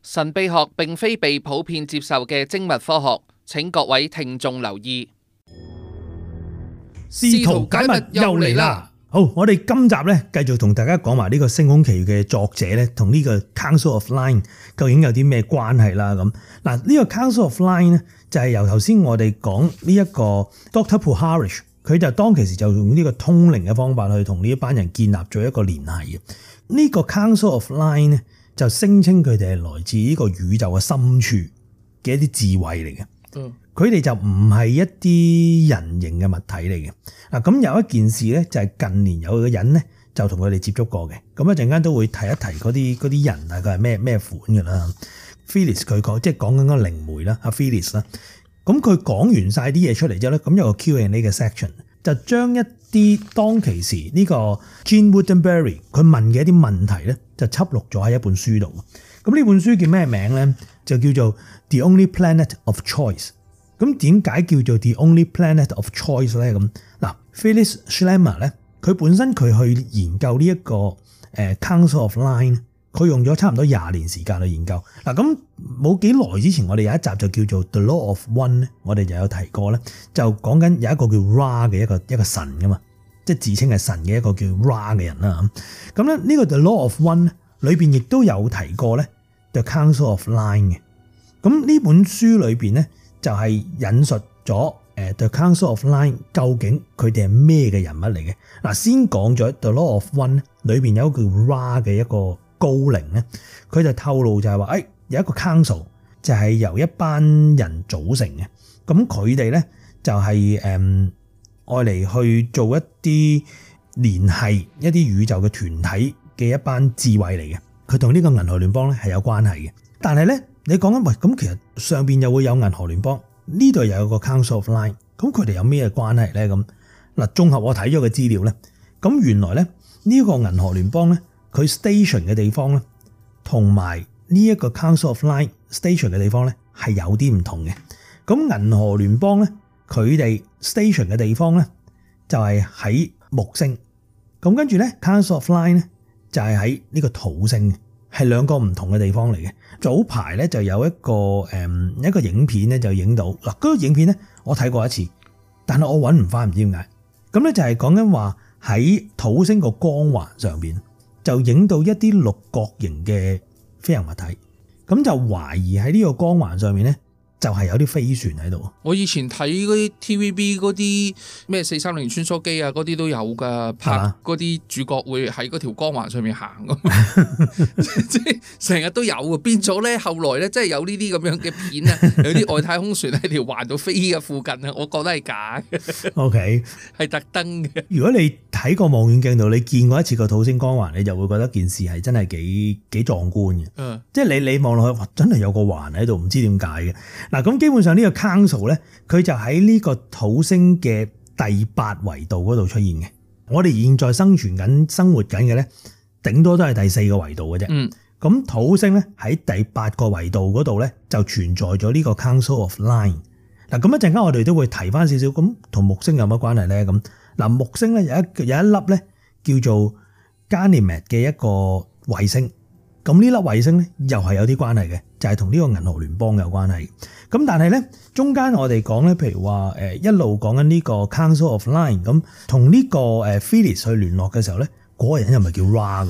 神秘學並非被普遍接受嘅精密科學，請各位聽眾留意。試圖解密又嚟啦！好，我哋今集咧繼續同大家講埋呢個《星空奇遇》嘅作者咧，同呢個 Council of Line 究竟有啲咩關係啦？咁嗱，呢個 Council of Line 咧就係由頭先我哋講呢一個 Dr. Puharich， 佢就當其時就用呢個通靈嘅方法去同呢一班人建立咗一個聯繫嘅。呢個 Council of Line 咧就聲稱佢哋係來自呢個宇宙嘅深處嘅一啲智慧嚟嘅。佢哋就唔係一啲人形嘅物體嚟嘅。嗱，咁有一件事咧，就係近年有個人咧就同佢哋接觸過嘅。咁一陣間都會提一提嗰啲人大概係咩款㗎啦。Phyllis 佢講即係講緊嗰個靈媒啦，阿 Phyllis 啦。咁佢講完晒啲嘢出嚟之後咧，咁有個 Q&A 嘅 section 就將一啲當其時呢個 Gene Roddenberry 佢問嘅一啲問題咧，就輯錄咗喺一本書度。咁呢本書叫咩名咧？就叫做 The Only Planet of Choice。咁點解叫做 The Only Planet of Choice 咧？咁嗱 Phyllis Schlemmer 咧，佢本身佢去研究呢一個Council of Line， 佢用咗差唔多20年時間去研究。嗱，咁冇幾耐之前，我哋有一集就叫做 The Law of One 咧，我哋就有提過咧，就講緊有一個叫 Ra 嘅一個神噶嘛，即係自稱係神嘅一個叫 Ra 嘅人啦。咁咧呢個 The Law of One 裏邊亦都有提過咧 The Council of Line 嘅。咁呢本書裏邊咧，就係引述咗The Council of Line 究竟佢哋係咩嘅人物嚟嘅。嗱，先講咗 The Law of One 裏邊有一個叫 Ra 嘅一個高靈咧，佢就透露就係話，有一個 Council 就係由一班人組成嘅。咁佢哋咧就係愛嚟去做一啲聯繫一啲宇宙嘅團體嘅一班智慧嚟嘅。佢同呢個銀河聯邦咧係有關係嘅。但係咧，你講緊咁其實上邊又會有銀河聯邦，呢度又有個 Council of Line， 咁佢哋有咩關係咧？咁嗱，綜合我睇咗嘅資料咧，咁原來咧呢個銀河聯邦咧，佢 station 嘅地方咧，同埋呢一個 Council of Line station 嘅地方咧係有啲唔同嘅。咁銀河聯邦咧，佢哋 station 嘅地方咧就係喺木星，咁跟住咧 Council of Line 咧就係喺呢個土星。係兩個唔同嘅地方嚟嘅。早排咧就有一個影片咧就影到嗱，嗰個影片咧我睇過一次，但係我揾唔翻，唔知點解。咁咧就係講緊話喺土星個光環上邊就影到一啲六角形嘅飛行物體，咁就懷疑喺呢個光環上面咧就係有啲飛船喺度。我以前睇嗰啲 TVB 嗰啲咩430穿梭機啊，嗰啲都有噶，拍嗰啲主角會喺嗰條光環上面行咁，即係成日都有啊。變咗咧，後來咧，即係有呢啲咁樣嘅片啊，有啲外太空船喺條環度飛嘅附近啊，我覺得係假嘅。OK， 係特登嘅。如果你睇過望遠鏡度，你見過一次個土星光環，你就會覺得件事係真係幾壯觀嘅。即係你望落去，哇，真係有個環喺度，唔知點解嘅。嗱，咁基本上呢個 Council 咧，佢就喺呢個土星嘅第8維度嗰度出現嘅。我哋現在生活緊嘅咧，頂多都係第4個維度嘅啫。咁土星咧喺第8個維度嗰度咧，就存在咗呢個 Council of Line。嗱，咁一陣間我哋都會提翻少少，咁同木星有乜關係咧？咁嗱，木星咧有一粒咧叫做 Ganymede 嘅一個衛星。咁呢粒衛星咧又係有啲關係嘅，就係同呢個銀河聯邦有關係。咁但係咧中間我哋講咧，譬如話一路講緊呢個 Council of Line， 咁同呢個Phyllis 去聯絡嘅時候咧，嗰個人又唔係叫 Ra 嘅，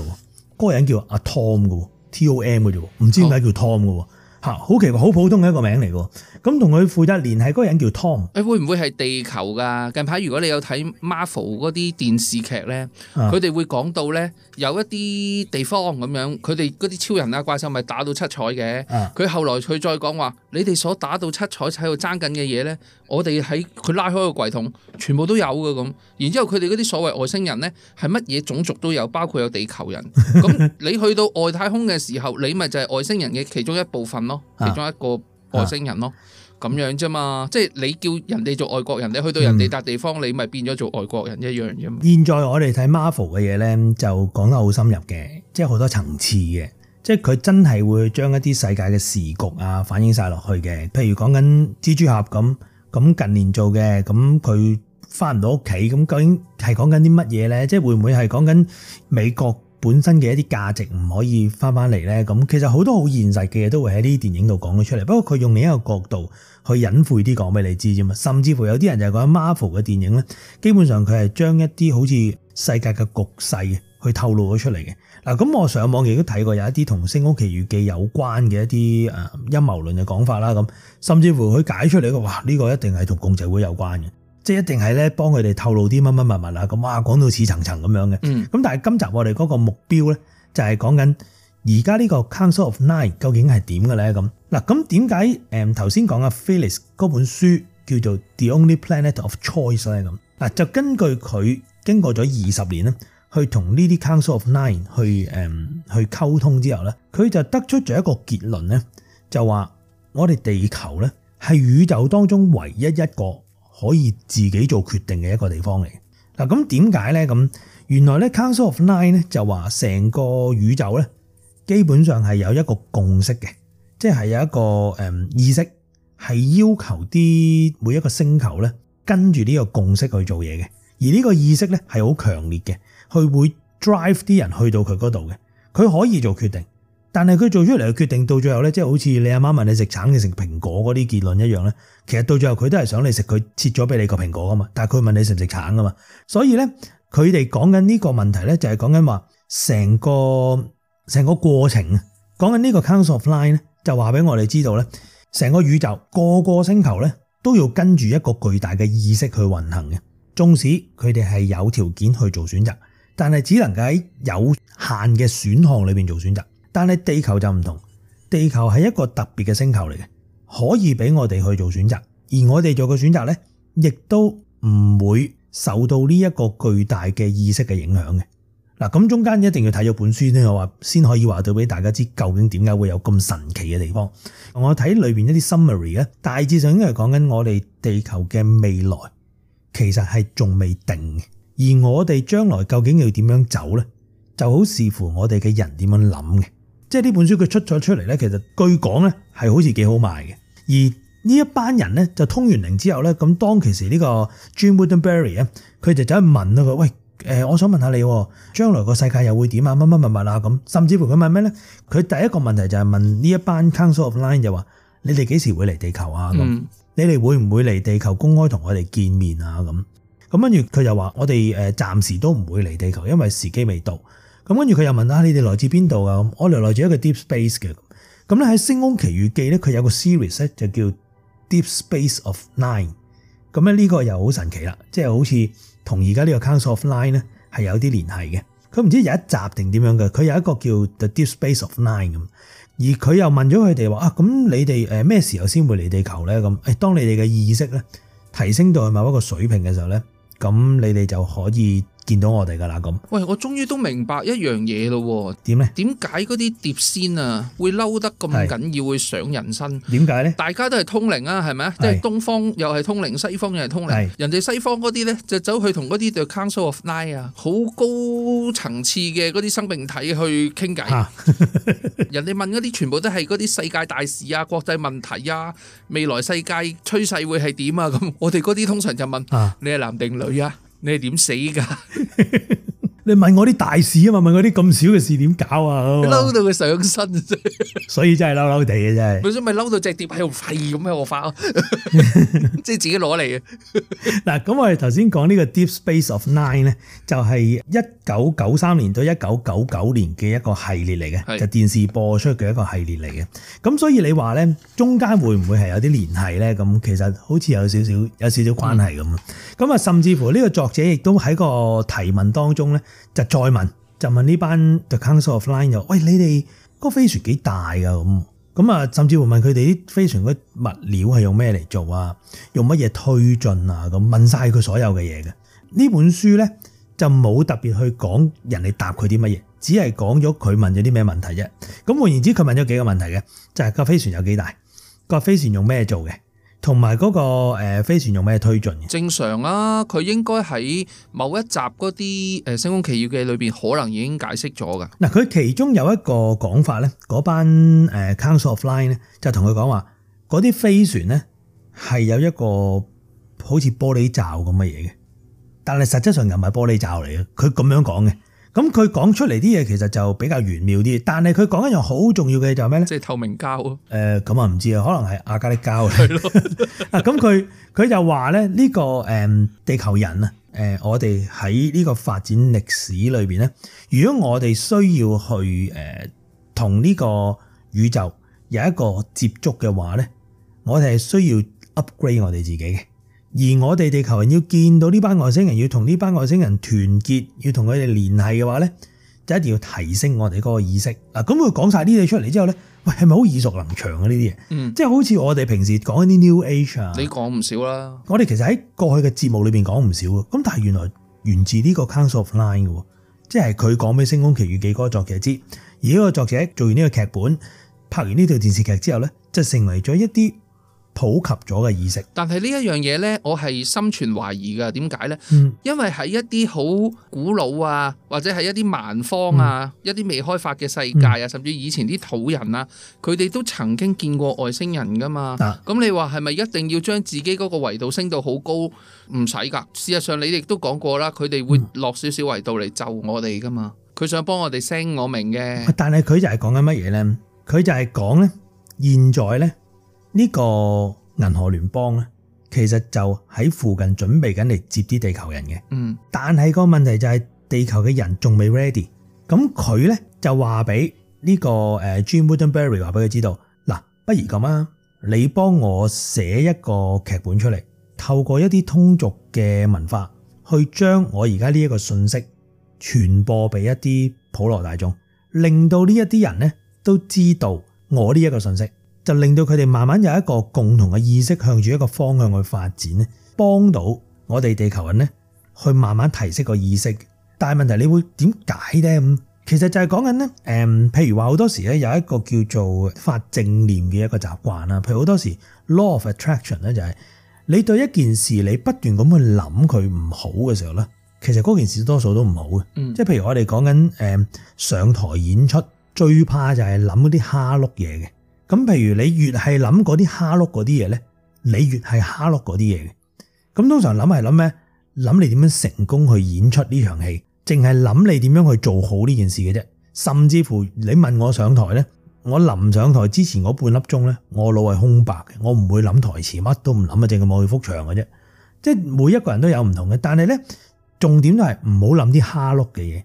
嗰個人叫阿 Tom 嘅 ，Tom 嘅啫，唔知點解叫 Tom 嘅。好奇怪，好普通嘅一個名嚟嘅。咁同佢負責聯繫嗰個人叫 Tom。會唔會係地球㗎？近排如果你有睇 Marvel 嗰啲電視劇咧，佢哋會講到咧有一啲地方咁樣，佢哋嗰啲超人啊怪獸咪打到七彩嘅。佢後來佢再講話，你哋所打到七彩喺度爭緊嘅嘢咧，我哋喺佢拉開個櫃桶，全部都有嘅咁。然之後佢哋嗰啲所謂外星人咧，係乜嘢種族都有，包括有地球人。咁你去到外太空嘅時候，你咪就係外星人嘅其中一部分咯，其中一個外星人咯。咁樣啫嘛，即係你叫人哋做外國人，你去到人哋笪地方，你咪變咗做外國人一樣啫嘛。現在我哋睇 Marvel 嘅嘢咧，就講得好深入嘅，即係好多層次嘅，即係佢真係會將一啲世界嘅時局啊反映晒落去嘅。譬如講緊蜘蛛俠咁近年做嘅，咁佢翻唔到屋企，咁究竟係講緊啲乜嘢咧？即係會唔會係講緊美國本身嘅一啲價值唔可以翻嚟咧？咁其實好多好現實嘅嘢都會喺呢啲電影度講咗出嚟。不過佢用另一個角度去隱晦啲講俾你知啫嘛。甚至乎有啲人就係講 Marvel 嘅電影咧，基本上佢係將一啲好似世界嘅局勢去透露咗出嚟嘅。嗱，咁我上網亦都睇過有一啲同《星空奇遇記》有關嘅一啲陰謀論嘅講法啦。咁甚至乎佢解出嚟嘅，哇！呢個一定係同共濟會有關嘅。即係一定係咧幫佢哋透露啲乜乜物物啊，咁哇講到似層層咁樣嘅。咁但係今集我哋嗰個目標咧就係講緊而家呢個 Council of Nine 究竟係點嘅咧？咁嗱，咁點解頭先講嘅 Phyllis 嗰本書叫做 The Only Planet of Choice 咧？咁嗱，就根據佢經過咗20年咧，去同呢啲 Council of Nine 去溝通之後咧，佢就得出咗一個結論咧，就話我哋地球咧係宇宙當中唯一一個可以自己做決定嘅一個地方嚟。嗱，咁點解咧？咁原來咧 Council of Nine 咧就話成個宇宙咧基本上係有一個共識嘅，即係有一個意識係要求啲每一個星球咧跟住呢個共識去做嘢嘅。而呢個意識咧係好強烈嘅，佢會 drive 啲人去到佢嗰度嘅。佢可以做決定，但係佢做出嚟嘅決定到最後咧，即係好似你阿媽問你食橙定食蘋果嗰啲結論一樣咧。其實到最後佢都係想你食佢切咗俾你個蘋果噶嘛，但係佢問你食唔食橙噶嘛。所以咧，佢哋講緊呢個問題咧，就係講緊話成個過程，講緊呢個 Council of Nine 咧，就話俾我哋知道咧，成個宇宙個個星球咧都要跟住一個巨大嘅意識去運行嘅。縱使佢哋係有條件去做選擇，但係只能夠喺有限嘅選項裏邊做選擇。但係地球就唔同，地球係一個特別嘅星球嚟嘅。可以俾我哋去做選擇，而我哋做嘅選擇咧，亦都唔會受到呢一個巨大嘅意識嘅影響嘅。嗱，咁中間一定要睇咗本書咧，我話先可以話到俾大家知究竟點解會有咁神奇嘅地方。我睇裏邊一啲 summary 咧，大致上應該係講緊我哋地球嘅未來其實係仲未定嘅，而我哋將來究竟要點樣走咧，就好視乎我哋嘅人點樣諗嘅。即係呢本書佢出咗出嚟咧，其實據講咧係好似幾好賣嘅。而呢一班人咧就通完靈之後咧，咁當其時呢個 Gene Roddenberry 啊，佢就走去問啦佢，喂，我想問下你，將來個世界又會點啊？乜乜乜乜啊咁，甚至乎佢問咩咧？佢第一個問題就係問呢一班 Council of Nine 就話：你哋幾時會嚟地球啊？咁你哋會唔會嚟地球公開同我哋見面啊？咁跟住佢就話：我哋暫時都唔會嚟地球，因為時機未到。咁跟住佢又問下你哋來自邊度啊？我哋來自一個 Deep Space 嘅。咁咧喺《星空奇遇記》咧，佢有個 series 咧就叫 Deep Space of Nine。咁咧呢個又好神奇啦，即係好似同而家呢個 Council of Nine 咧係有啲聯繫嘅。佢唔知有一集定點樣嘅，佢有一個叫 The Deep Space of Nine 咁。而佢又問咗佢哋話：咁你哋咩時候先會嚟地球咧？咁當你哋嘅意識咧提升到去某一個水平嘅時候咧，咁你哋就可以見到我哋噶啦咁。喂，我終於都明白一樣嘢咯。點咧？點解嗰啲碟仙啊會嬲得咁緊要，會上人身？點解咧？大家都係通靈啊，係咪啊？即係東方又係通靈，西方又係通靈。人哋西方嗰啲咧就走去同嗰啲對 Council of Nine 啊，好高層次嘅嗰啲生命體去傾偈。人哋問嗰啲全部都係嗰啲世界大事啊、國際問題啊、未來世界趨勢會係點啊咁。我哋嗰啲通常就問：你係男定女啊？你係點死噶？你問我啲大事啊嘛，問我啲咁少嘅事點搞啊？嬲到佢上身啫，所以真係嬲嬲地嘅真係。本身咪嬲到隻碟喺度廢咁喺度發，即係自己攞嚟嘅。嗱，咁我哋頭先講呢個 Deep Space of Nine 咧，就係1993年到1999年嘅一個系列嚟嘅，就電視播出嘅一個系列嚟嘅。咁所以你話咧，中間會唔會係有啲聯繫咧？咁其實好似有少少關係咁。咁啊，甚至乎呢個作者亦都喺個提問當中咧。就再問，就問呢班 The Council of Nine 就，喂，你哋嗰個飛船幾大㗎？咁啊，甚至乎問佢哋啲飛船嗰物料係用咩嚟做啊？用乜嘢推進啊？咁問晒佢所有嘅嘢嘅。呢本書咧就冇特別去講人哋答佢啲乜嘢，只係講咗佢問咗啲咩問題啫。咁換言之，佢問咗幾個問題嘅，就係個飛船有幾大，個飛船用咩做嘅？同埋嗰個飛船用咩推進嘅？正常啊，佢應該喺某一集嗰啲《星空奇遇記》裏邊可能已經解釋咗噶。嗱，佢其中有一個講法咧，嗰班Council of Nine咧就同佢講話，嗰啲飛船咧係有一個好似玻璃罩咁嘅嘢嘅，但係實質上又唔係玻璃罩嚟嘅。佢咁樣講嘅，咁佢講出嚟啲嘢其實就比較玄妙啲，但係佢講一樣好重要嘅就係咩咧？即係透明膠。咁啊唔知啊，可能係亞加力膠。係咯。咁佢就話咧呢個地球人啊，我哋喺呢個發展歷史裏邊咧，如果我哋需要去同呢個宇宙有一個接觸嘅話咧，我哋係需要 upgrade 我哋自己嘅。而我哋地球人要見到呢班外星人，要同呢班外星人團結，要同佢哋聯繫嘅話咧，就一定要提升我哋嗰個意識。嗱，咁佢講晒呢啲嘢出嚟之後咧，喂，係咪好耳熟能詳啊？呢啲嘢，即係好似我哋平時講一啲 New Age 啊，你講唔少啦。我哋其實喺過去嘅節目裏邊講唔少啊。咁但係原來源自呢個 Council of Nine 嘅，即係佢講俾《星空奇遇記》嗰個作者知，而呢個作者做完呢個劇本，拍完呢套電視劇之後咧，就成為咗一啲普及咗嘅意識。但係呢一樣嘢咧，我係心存懷疑㗎。點解咧？因為喺一啲好古老啊，或者係一啲蠻荒啊，一啲未開發嘅世界啊，甚至以前啲土人啊，佢哋都曾經見過外星人噶嘛。咁你話係咪一定要將自己嗰個維度升到好高？唔使㗎。事實上你亦都講過啦，佢哋會落少少維度嚟就我哋噶嘛。佢想幫我哋升，我明嘅。但係佢就係講緊乜嘢咧？佢就係講咧，現在咧。呢個銀河聯邦咧，其實就喺附近準備緊嚟接啲地球人嘅。但係個問題就係地球嘅人仲未 ready。咁佢咧就話俾呢個Gene Roddenberry 話俾佢知道，嗱，不如咁啊，你幫我寫一個劇本出嚟，透過一啲通俗嘅文化，去將我而家呢一個信息傳播俾一啲普羅大眾，令到呢一啲人咧都知道我呢一個信息。就令到佢哋慢慢有一個共同嘅意識，向住一個方向去發展咧，幫到我哋地球人咧去慢慢提升個意識。但係問題你會點解咧？咁其實就係講緊咧，譬如話好多時咧有一個叫做發正念嘅一個習慣啦。譬如好多時 law of attraction 咧就係你對一件事你不斷咁去諗佢唔好嘅時候咧，其實嗰件事多數都唔好嘅。即係譬如我哋講緊上台演出，最怕就係諗嗰啲蝦碌嘢嘅。咁譬如你越係諗嗰啲蝦碌嗰啲嘢咧，你越係蝦碌嗰啲嘢嘅。咁通常諗係諗咩？諗你點樣成功去演出呢場戲，淨係諗你點樣去做好呢件事嘅啫。甚至乎你問我上台咧，我臨上台之前嗰半粒鐘咧，我腦係空白嘅，我唔會諗台詞，乜都唔諗啊，淨係望住幅牆嘅啫。即係每一個人都有唔同嘅，但係咧重點都係唔好諗啲蝦碌嘅嘢。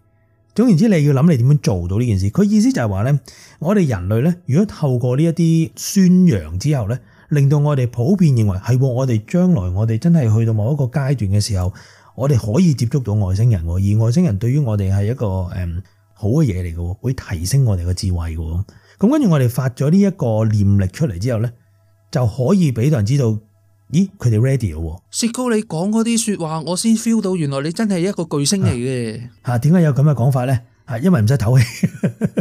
總言之，你要諗你點樣做到呢件事。佢意思就係話咧，我哋人類咧，如果透過呢一啲宣揚之後咧，令到我哋普遍認為係我哋將來我哋真係去到某一個階段嘅時候，我哋可以接觸到外星人，而外星人對於我哋係一個好嘅嘢嚟嘅，會提升我哋嘅智慧嘅。咁跟住我哋發咗呢一個念力出嚟之後咧，就可以俾到人知道，咦，佢哋 ready 咯。薛高，你講嗰啲說話，我先 feel 到原來你真係一個巨星嚟嘅。吓，點解有咁嘅講法咧？係因為唔使唞氣。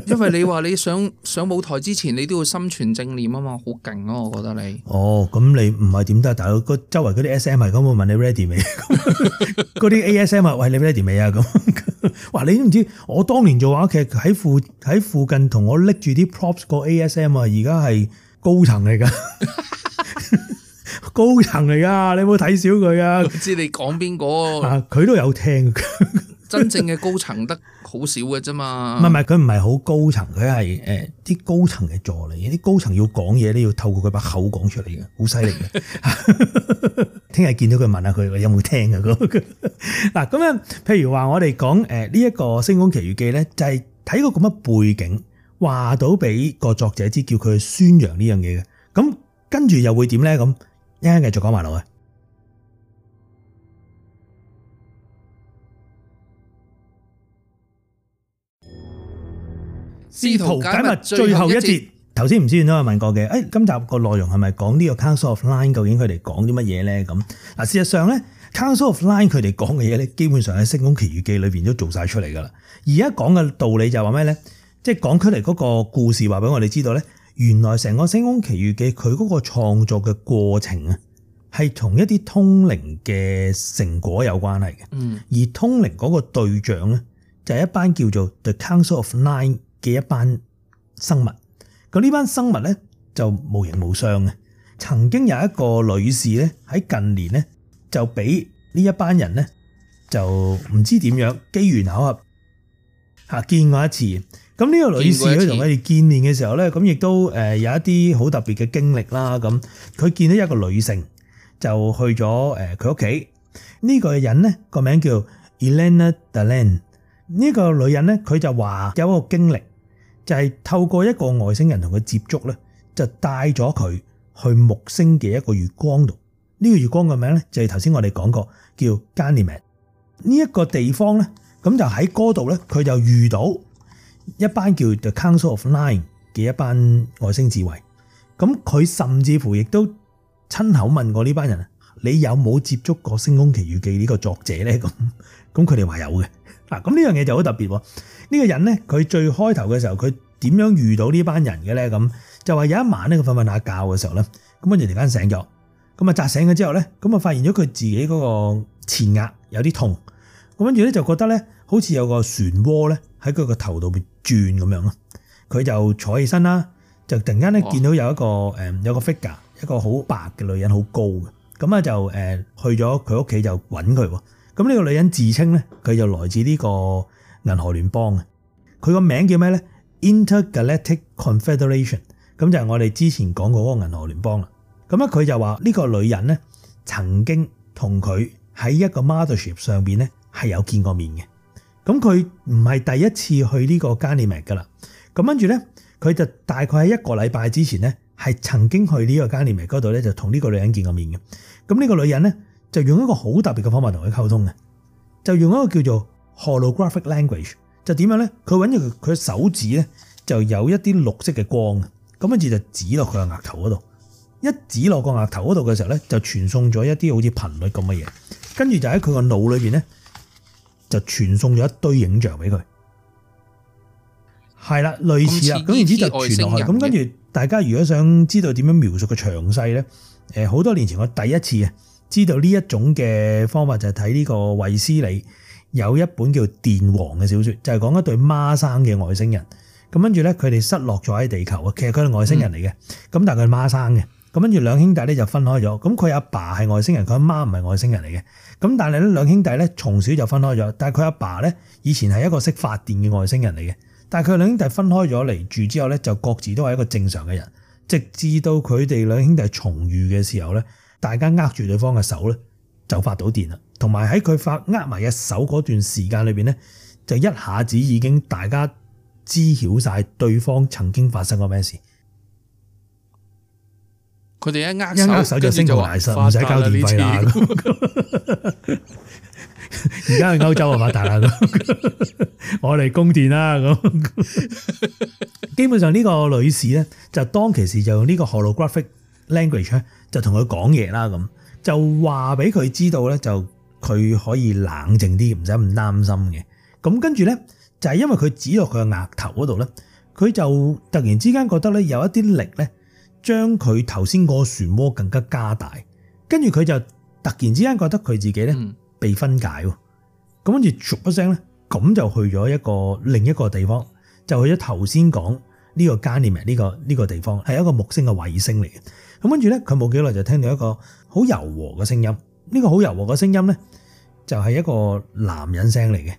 因為你話你上舞台之前，你都要心存正念啊嘛，好勁啊！我覺得你。哦，咁你唔係點得？大佬，周圍嗰啲 SM 係咁，我問你 ready 未？嗰啲 ASM 啊，喂，你 ready 未啊？咁，哇，你都唔知，我當年做話劇喺附近同我拎住啲 props 個 ASM 啊，而家係高層嚟噶。高層嚟噶，你有冇睇小佢啊？我知你講邊個？佢都有聽。真正嘅高層得好少嘅啫嘛。唔係，佢唔係好高層，佢係啲高層嘅助理。啲高層要講嘢咧，要透過佢把口講出嚟嘅，好犀利嘅。聽日見到佢問下佢有冇聽啊？嗱，咁樣，譬如話我哋講呢一個《星空奇遇記》咧，就係睇個咁嘅背景，話到俾個作者知，叫佢去宣揚呢樣嘢嘅。咁跟住又會點咧？咁一陣繼續講埋落去。試圖解密最後一節。頭先唔知都有問過嘅，今集個內容係咪講呢個 Council of Nine 究竟佢哋講啲乜嘢咧？咁嗱，事實上咧 Council of Nine 佢哋講嘅嘢咧，基本上喺《星空奇遇記》裏邊都做晒出嚟噶啦。而家講嘅道理就係話咩咧？即係講出嚟嗰個故事話俾我哋知道咧，原來成個《星空奇遇記》佢嗰個創作嘅過程啊，係同一啲通靈嘅成果有關係嘅。而通靈嗰個對象咧，就係一班叫做 The Council of Nine 嘅一班生物。咁呢班生物咧就無形無相嘅。曾經有一個女士咧喺近年咧就俾呢一班人咧就唔知點樣機緣巧合見過一次。咁呢個女士咧同佢哋見面嘅時候咧，咁亦都有一啲好特別嘅經歷啦。咁佢見到一個女性就去咗佢屋企。呢個人咧個名叫 Elena Dallin。呢個女人咧佢就話有一個經歷，就係透過一個外星人同佢接觸咧，就帶咗佢去木星嘅一個月光度。呢個月光嘅名咧就係頭先我哋講過叫 Ganymede。呢一個地方咧，咁就喺嗰度咧，佢就遇到一班叫 The Council of Nine 嘅一班外星智慧。咁佢甚至乎亦都親口問過呢班人：你有冇接觸過《星空奇遇記》呢個作者咧？咁佢哋話有嘅。嗱，咁呢樣嘢就好特別喎。呢個人咧，佢最開頭嘅時候，佢點樣遇到呢班人嘅咧？咁就話有一晚咧，佢瞓下覺嘅時候咧，咁跟住突然間醒咗，咁啊扎醒咗之後咧，咁啊發現咗佢自己嗰個前額有啲痛，咁跟住咧就覺得咧好似有個漩渦咧喺佢個頭度邊轉咁樣咯。佢就坐起身啦，就突然間咧見到有一個 figure， 一個好白嘅女人，好高嘅，咁啊就去咗佢屋企就揾佢喎。咁呢個女人自稱咧，佢就來自呢個銀河聯邦嘅。佢個名叫咩咧 ？Intergalactic Confederation。咁就係我哋之前講過嗰個銀河聯邦啦。咁咧佢就話呢個女人咧曾經同佢喺一個 mothership 上邊咧係有見過面嘅。咁佢唔係第一次去呢個 Ganymede 噶啦。咁跟住咧，佢就大概喺一個禮拜之前咧係曾經去呢個 Ganymede 嗰度咧就同呢個女人見過面嘅。咁呢個女人咧，就用一個好特別嘅方法同佢溝通嘅，就用一個叫做 holographic language。就點樣咧？佢揾住佢手指咧，就有一啲綠色嘅光，咁跟住就指落佢個額頭嗰度。一指落個額頭嗰度嘅時候咧，就傳送咗一啲好似頻率咁嘅嘢，跟住就喺佢個腦裏邊咧，就傳送咗一堆影像俾佢。係啦，類似啦，咁然之就傳落去。咁跟住大家如果想知道點樣描述嘅詳細咧，好多年前我第一次啊知道呢一種嘅方法就係睇呢個衛斯理有一本叫《電王》嘅小説，就係講一對孖生嘅外星人。咁跟住咧，佢哋失落咗喺地球啊。其實佢係外星人嚟嘅，咁但係佢係孖生嘅。咁跟住兩兄弟咧就分開咗。咁佢阿爸係外星人，佢阿媽唔係外星人嚟嘅。咁但係咧兩兄弟咧從小就分開咗。但係佢阿爸咧以前係一個識發電嘅外星人嚟嘅。但係佢兩兄弟分開咗嚟住之後咧，就各自都係一個正常嘅人。直至到佢哋兩兄弟重遇嘅時候咧，大家握住對方嘅手咧，就發到電啦。同埋喺佢握埋嘅手嗰段時間裏邊咧，就一下子已經大家知曉晒對方曾經發生過咩事。佢哋一握手就升到大神，唔使交電費啦。而家去歐洲啊發達啦，我哋供電啦咁。基本上呢個女士咧，就當其時就用呢個 holographic language 咧，就同佢講嘢啦咁，就話俾佢知道咧，就佢可以冷靜啲，唔使咁擔心嘅。咁跟住咧，就係因為佢指落佢嘅額頭嗰度咧，佢就突然之間覺得咧有一啲力咧，將佢頭先嗰個漩渦更加加大。跟住佢就突然之間覺得佢自己咧被分解喎。咁跟住唰一聲咧，咁就去咗另一個地方，就去咗頭先講呢個 Ganymede 呢個地方，係一個木星嘅衛星嚟嘅。咁跟住咧，佢冇幾耐就聽到一個好柔和嘅聲音。呢個好柔和嘅聲音咧，就係一個男人聲嚟嘅。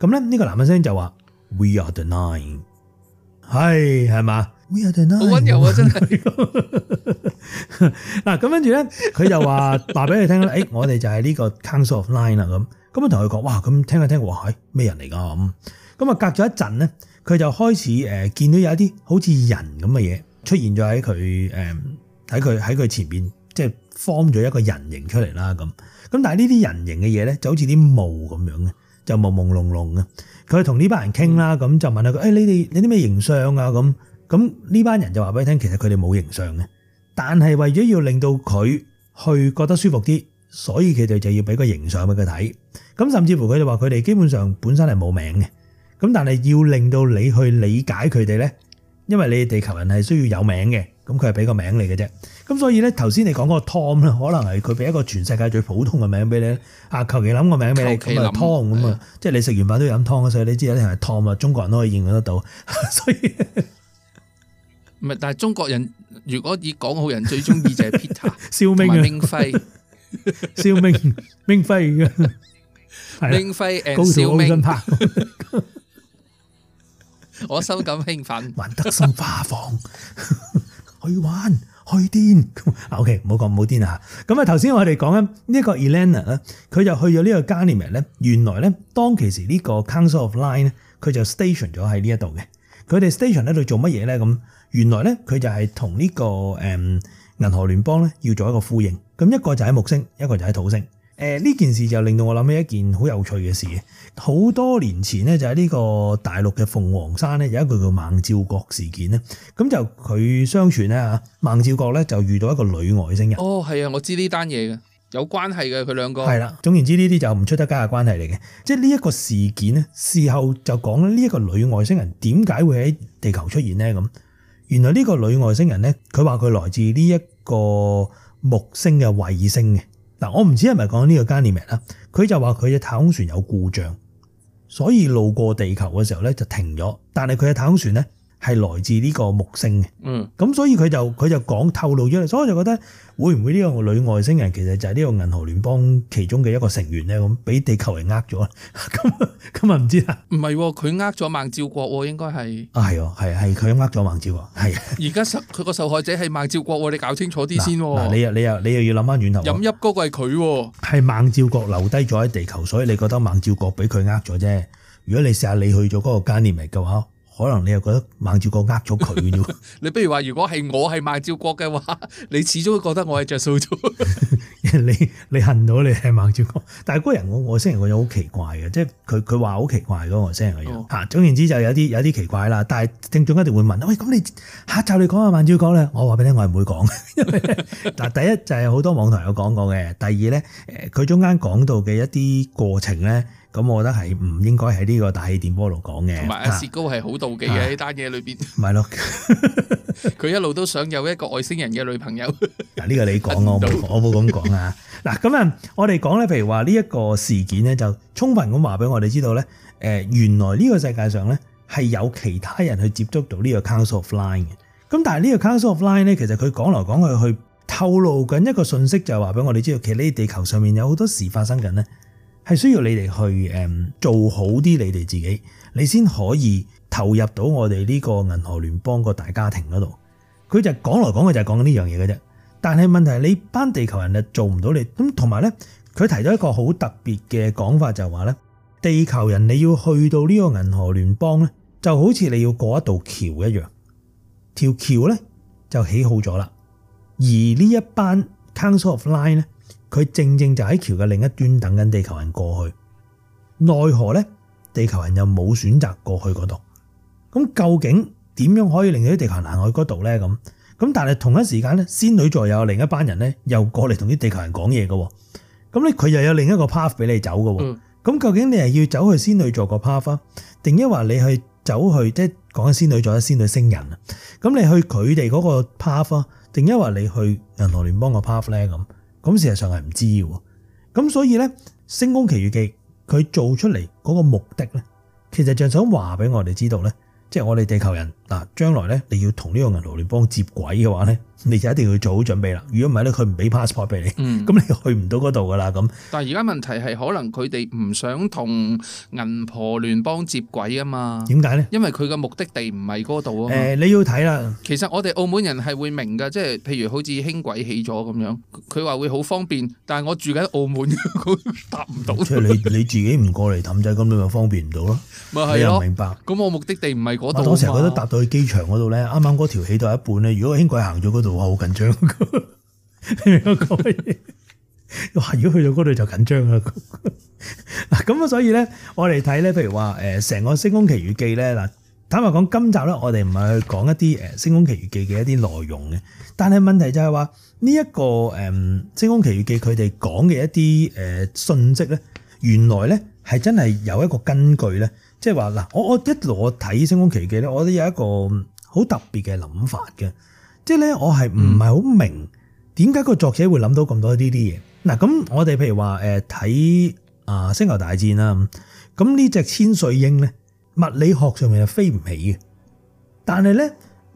咁咧，呢個男人聲就話 We are the nine， 係嘛 We are the nine， 好溫柔啊，真係。嗱，咁跟住咧，佢就話俾你聽咧，我哋就係呢個 Council of Nine 啦咁。咁啊，同佢講，哇！咁聽下聽，哇！係咩人嚟噶咁？咁啊，隔咗一陣咧，佢就開始見到有一啲好似人咁嘅嘢出現咗喺佢前邊，即係 form 咗一個人形出嚟啦咁。咁但係呢啲人形嘅嘢咧，就好似啲霧咁樣嘅，就朦朦朧朧嘅。佢同呢班人傾啦，咁就問下佢，你啲咩形象啊？咁呢班人就話俾你聽，其實佢哋冇形象嘅，但係為咗要令到佢去覺得舒服啲，所以佢哋就要俾個形象俾佢睇。咁甚至乎佢哋話佢哋基本上本身係冇名嘅，咁但係要令到你去理解佢哋咧，因為你哋地球人係需要有名嘅，咁佢係俾個名你嘅啫。咁所以咧，頭先你講嗰個 Tom 咧，可能係佢俾一個全世界最普通嘅名俾你啊，求其諗個名俾你，咁啊 Tom 咁啊，即係你食完飯都要飲湯，所以你知一定係 Tom 啊，中國人都可以認得到。所以唔係，但係中國人如果以港澳人最中意就係 Peter 蕭明啊，明輝，蕭明輝嘅。明輝誒，小明我心感興奮。還德森花房去玩去癲。OK， 唔好講唔好癲啊！咁啊，頭先我哋講緊呢一個 Elena 咧，佢就去咗呢個 Ganymede 咧。原來咧，當其時呢個 Council of Line 咧，佢就 station 咗喺呢一度嘅。佢哋 station 喺度做乜嘢咧？咁原來咧，佢就係同呢個銀河聯邦咧要做一個呼應。咁一個就喺木星，一個就喺土星。呢件事就令到我諗起一件好有趣嘅事嘅。好多年前咧，就喺呢個大陸嘅鳳凰山咧，有一個叫孟照國事件咧。咁就佢相傳咧嚇，孟照國咧就遇到一個女外星人。哦，係啊，我知呢單嘢嘅，有關係嘅佢兩個。係啦，總言之呢啲就唔出得街嘅關係嚟嘅。即係呢一個事件咧，事後就講呢一個女外星人點解會喺地球出現咧？咁原來呢個女外星人咧，佢話佢來自呢一個木星嘅衛星嘅。嗱，我唔知係咪講呢個 Ganymede 啦，佢就話佢嘅太空船有故障，所以路過地球嘅時候咧就停咗，但係佢嘅太空船咧係來自呢個木星嘅。咁所以佢就講透露咗嚟，所以我就覺得會唔會呢個女外星人其實就係呢個銀河聯邦其中嘅一個成員咧？咁俾地球人呃咗，咁啊唔知啦。唔係，佢呃咗孟照國，應該係。係佢呃咗孟照國，係。而家佢個受害者係孟照國，你搞清楚啲先。嗱，你又要諗翻遠頭。飲泣嗰個係佢，係孟照國留低咗喺地球，所以你覺得孟照國俾佢呃咗啫。如果你試下你去咗嗰個 Ganymede嘅話，可能你又覺得孟照國呃咗佢嘅啫。你不如話，如果係我係孟照國嘅話，你始終覺得我係着數咗。你恨到你係孟照國，但係嗰人外星人個樣好奇怪嘅，即係佢話好奇怪嗰個外星人個樣嚇。總言之就有啲奇怪啦。但係聽眾一定會問：喂，咁你下集你講下孟照國咧？我話俾你聽，我係唔會講。因為嗱，第一就係好多網台有講過嘅，第二咧佢中間講到嘅一啲過程咧。咁我覺得係唔應該喺呢個大氣電波度講嘅。同埋阿薛高係好妒忌嘅呢單嘢裏邊。咪咯，佢一路都想有一個外星人嘅女朋友。嗱，呢個你講我冇咁講啊。嗱，咁啊，我哋講咧，譬如話呢一個事件咧，就充分咁話俾我哋知道咧，原來呢個世界上咧係有其他人去接觸到呢個 Council of Line 嘅。咁但係呢個 Council of Line 咧，其實佢講嚟講去透露緊一個信息，就係話俾我哋知道，其實呢地球上面有好多事發生緊咧。係需要你哋去做好啲你哋自己，你先可以投入到我哋呢個銀河聯邦個大家庭嗰度。佢就講來講去就係講緊呢樣嘢嘅啫。但係問題係你班地球人就做唔到你咁，同埋咧佢提到一個好特別嘅講法，就係話咧地球人你要去到呢個銀河聯邦咧，就好似你要過一道橋一樣，條橋咧就起好咗啦。而呢一班 Council of Line 咧，佢正正就喺橋嘅另一端等緊地球人過去，奈何咧地球人又冇選擇過去嗰度。咁究竟點樣可以令到啲地球人行去嗰度咧？咁但係同一時間咧，仙女座又有另一班人咧，又過嚟同啲地球人講嘢嘅。咁咧佢又有另一個 path 俾你走嘅。咁究竟你係要走去仙女座個 path 啊，定抑或你去走去即係講緊仙女座、仙女星人啊？咁你去佢哋嗰個 path 啊，定抑或你去銀河聯邦個 path 咧？咁事實上係唔知嘅。咁所以咧，《星空奇遇記》佢做出嚟嗰個目的咧，其實就想話俾我哋知道咧，即係我哋地球人嗱，將來咧你要同呢個銀河聯邦接軌嘅話咧，你就一定要做好準備啦。如果唔係咧，佢唔俾 passport 俾你，咁你去唔到嗰度噶啦。咁但係而家問題係可能佢哋唔想同銀河聯邦接軌啊嘛？點解咧？因為佢嘅目的地唔係嗰度啊嘛。你要睇啦。其實我哋澳門人係會明㗎，即係譬如好似輕軌起咗咁樣，佢話會好方便，但係我住緊澳門，搭唔到。即係你自己唔過嚟氹仔，咁你咪方便唔到咯。咪係咯。明白。咁我目的地唔係嗰度。我成日覺得搭到去機場嗰度咧，啱啱嗰條起到一半咧，如果輕軌行咗嗰度，我好緊張。你明我講乜嘢？哇！如果去到嗰度就緊張啦。嗱，咁啊，所以咧，我哋睇咧，譬如話成個《星空奇遇記》咧，嗱，坦白講，今集咧，我哋唔係去講一啲《星空奇遇記》嘅一啲內容嘅，但係問題就係話呢一個《星空奇遇記》佢哋講嘅一啲信息咧，原來咧係真係有一個根據咧，即係話嗱，我一路我睇《星空奇遇記》咧，我都有一個好特別嘅諗法嘅，即係咧，我係唔係好明點解個作者會諗到咁多呢啲嘢。嗱，咁我哋譬如話睇星球大戰啦，咁呢隻千歲鷹咧，物理學上面係飛唔起嘅，但係咧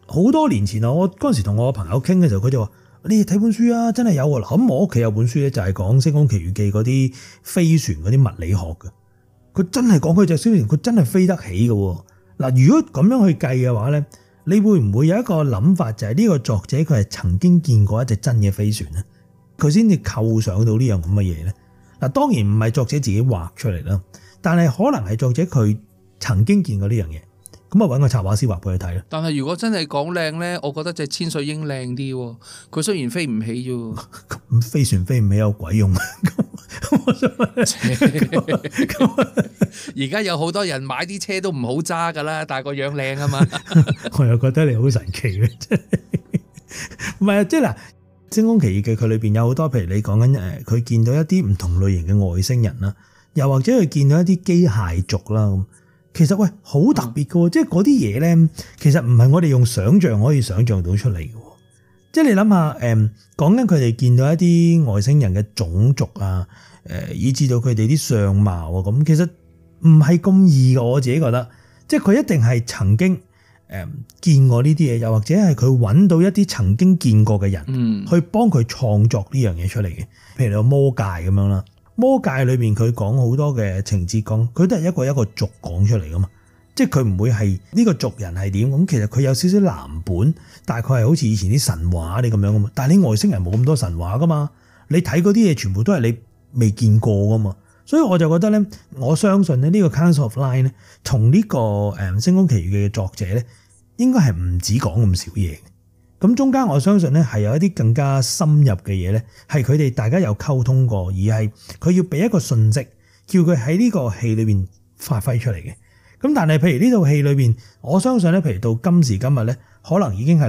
好多年前啊，我嗰陣時同我朋友傾嘅時候，佢就話：你哋睇本書啊，真係有喎。咁我屋企有本書咧，就係講《星空奇遇記》嗰啲飛船嗰啲物理學嘅，佢真係講佢隻飛船，佢真係飛得起嘅。嗱，如果咁樣去計嘅話咧，你會唔會有一個諗法，就係呢個作者佢係曾經見過一隻真嘅飛船咧，佢先至構想到呢樣咁嘅嘢咧？嗱，當然唔係作者自己畫出嚟啦，但係可能係作者佢曾經見過呢樣嘢。咁啊，揾個插畫師畫俾佢睇啦。但係如果真係講靚咧，我覺得隻千歲鷹靚啲喎。佢雖然飛唔起啫，咁飛船飛唔起有鬼用？我想而家有好多人買啲車都唔好揸噶啦，但係個樣靚啊嘛。我又覺得你好神奇嘅，真係唔係啊！即係嗱，《星空奇異記》佢裏邊有好多，譬如你講緊佢見到一啲唔同類型嘅外星人啦，又或者佢見到一啲機械族啦咁。其實喂，好特別嘅，即係嗰啲嘢咧，其實唔係我哋用想像可以想像到出嚟嘅。即係你諗下，講緊佢哋見到一啲外星人嘅種族啊，以至到佢哋啲相貌啊，咁其實唔係咁易嘅。我自己覺得，即係佢一定係曾經見過呢啲嘢，又或者係佢揾到一啲曾經見過嘅人，去幫佢創作呢樣嘢出嚟嘅。譬如你個魔界咁樣啦。魔界裏邊佢講好多嘅情節，佢都係一個一個族講出嚟噶嘛，即係佢唔會係呢個族人係點咁，其實佢有少少藍本，大概係好似以前啲神話啲咁樣噶嘛。但係你外星人冇咁多神話噶嘛，你睇嗰啲嘢全部都係你未見過噶嘛，所以我就覺得咧，我相信咧呢個 Council of Line 咧，同呢個《星空奇遇記》嘅作者咧，應該係唔止講咁少嘢。咁中間我相信咧係有一啲更加深入嘅嘢咧，係佢哋大家有溝通過，而係佢要俾一個訊息，叫佢喺呢個戲裏邊發揮出嚟嘅。咁但係譬如呢套戲裏邊，我相信咧，譬如到今時今日咧，可能已經係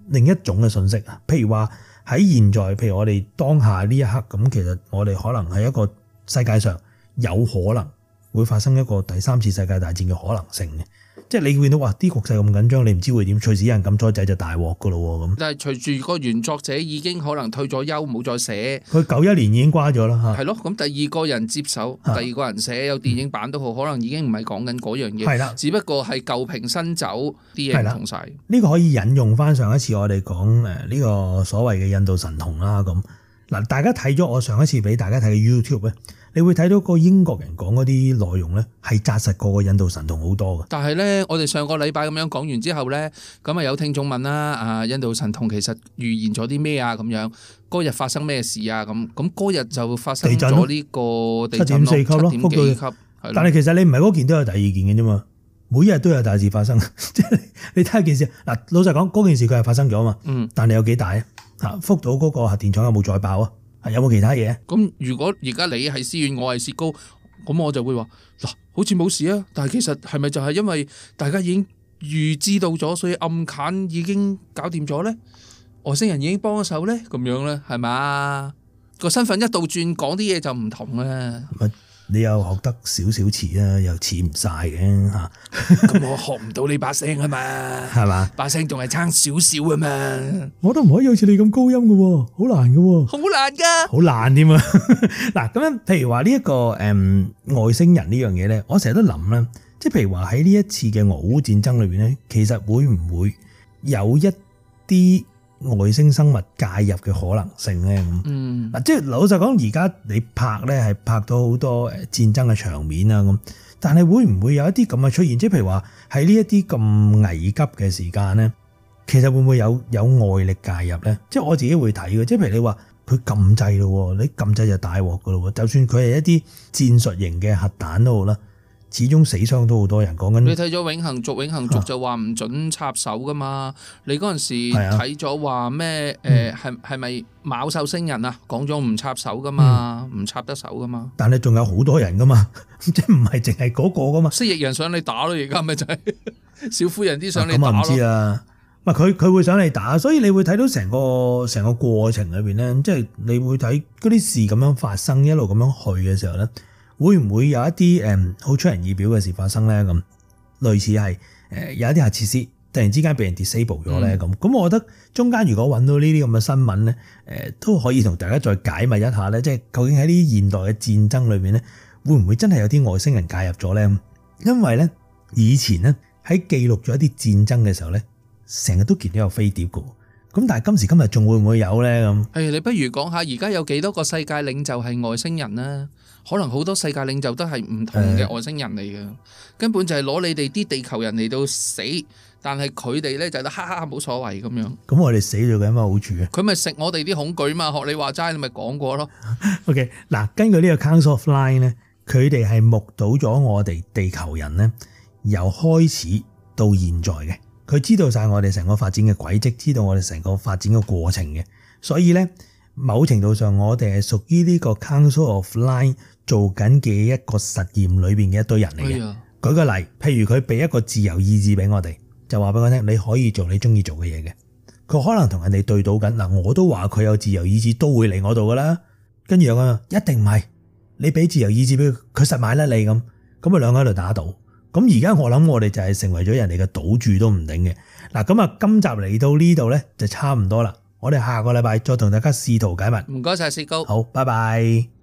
另一種嘅訊息啊。譬如話喺現在，譬如我哋當下呢一刻，咁其實我哋可能係一個世界上有可能會發生一個第三次世界大戰嘅可能性嘅。即係你見到話啲局勢咁緊張，你唔知會點，隨時有人撳咗掣就大鑊噶咯喎咁。但係隨住個原作者已經可能退咗休，冇再寫。佢91年已經瓜咗啦嚇。係咯，咁第二個人接手，第二個人寫有電影版都好，可能已經唔係講緊嗰樣嘢。係啦，只不過係舊瓶新酒啲嘢唔同晒。呢個可以引用翻上一次我哋講呢個所謂嘅印度神童啦咁。嗱，大家睇咗我上一次俾大家睇嘅 YouTube 咧，你會睇到個英國人講嗰啲內容咧，係紮實過個印度神童好多嘅。但係咧，我哋上個禮拜咁樣講完之後咧，咁啊有聽眾問啦，印度神童其實預言咗啲咩啊？咁樣嗰日發生咩事啊？咁嗰日就發生咗呢個地震7.4級咯，7.幾級。但係其實你唔係嗰件都有第二件嘅啫嘛，每日都有大事發生。即係你睇下件事嗱，老實講嗰件事佢係發生咗嘛，但係有幾大啊？福島嗰個核電廠有冇再爆啊？有冇其他嘢？咁如果而家你係思遠，我係薛高，咁我就會話嗱，好似冇事啊。但係其實係咪就係因為大家已經預知到咗，所以暗砍已經搞掂咗咧？外星人已經幫咗手咧？咁樣咧係咪？個身份一倒轉，講啲嘢就唔同啦。你又學得少少似啊，又似唔晒嘅嚇。咁我學唔到你把聲啊嘛，係嘛？把聲仲係差少少啊嘛。我都唔可以好似你咁高音嘅喎，好難嘅喎。好難㗎，好難添啊！嗱，咁樣譬如話呢一個外星人呢樣嘢咧，我成日都諗啦，即係譬如話喺呢一次嘅俄烏戰爭裏邊咧，其實會唔會有一啲外星生物介入嘅可能性咧？咁嗱，即係老實講，而家你拍咧係拍到好多戰爭嘅場面啊咁，但係會唔會有一啲咁嘅出現？即係譬如話喺呢一啲咁危急嘅時間咧，其實會唔會有外力介入咧？即係我自己會睇嘅，即係譬如你話佢撳掣咯，你撳掣就大鑊噶咯，就算佢係一啲戰術型嘅核彈都好啦。始終死傷都好多人講緊。你睇咗永恆族就話唔準插手噶嘛？你嗰陣時睇咗話咩？係咪昴宿星人啊？講咗唔插手噶嘛？唔插得手噶嘛？但係仲有好多人噶嘛？即係唔係淨係嗰個噶嘛？蜥蜴人想你打咯，而家咪就係小夫人啲想你打咯。咁我唔知啊。佢會想你打，所以你會睇到成個過程裏邊咧，即係你會睇嗰啲事咁樣發生，一路咁樣去嘅時候咧。會唔會有一啲好出人意表嘅事發生咧？咁類似係有一啲核設施突然之間被人 disable 咗咧？咁我覺得中間如果揾到呢啲咁嘅新聞咧，都可以同大家再解密一下咧，即係究竟喺呢啲現代嘅戰爭裏面咧，會唔會真係有啲外星人介入咗咧？因為咧以前咧喺記錄咗一啲戰爭嘅時候咧，成日都見到有飛碟嘅，嗰咁但係今時今日仲會唔會有咧咁？你不如講下而家有幾多個世界領袖係外星人啦？可能好多世界領袖都係唔同嘅外星人嚟嘅，根本就係攞你哋啲地球人嚟到死，但係佢哋咧就得哈哈冇所謂咁樣。咁我哋死咗有咩好處啊？佢咪食我哋啲恐懼嘛？學你話齋，你咪講過咯。OK， 嗱，根據呢個 Council of Line 咧，佢哋係目睹咗我哋地球人咧由開始到現在嘅，佢知道晒我哋成個發展嘅軌跡，知道我哋成個發展嘅過程嘅，所以咧某程度上我哋係屬於呢個 Council of Line 做緊嘅一個實驗裏邊嘅一堆人嚟嘅。舉個例，譬如佢俾一個自由意志俾我哋，就話俾我聽你可以做你中意做嘅嘢嘅。佢可能同人哋對賭緊嗱，我都話佢有自由意志都會嚟我度噶啦。跟住有個一定唔係，你俾自由意志俾佢，佢實買甩你咁，咁啊兩個喺度打賭。咁而家我諗我哋就係成為咗人哋嘅賭注都唔定嘅。嗱，咁啊今集嚟到呢度咧就差唔多啦，我哋下個禮拜再同大家試圖解密。唔該晒，薛高。好，拜拜。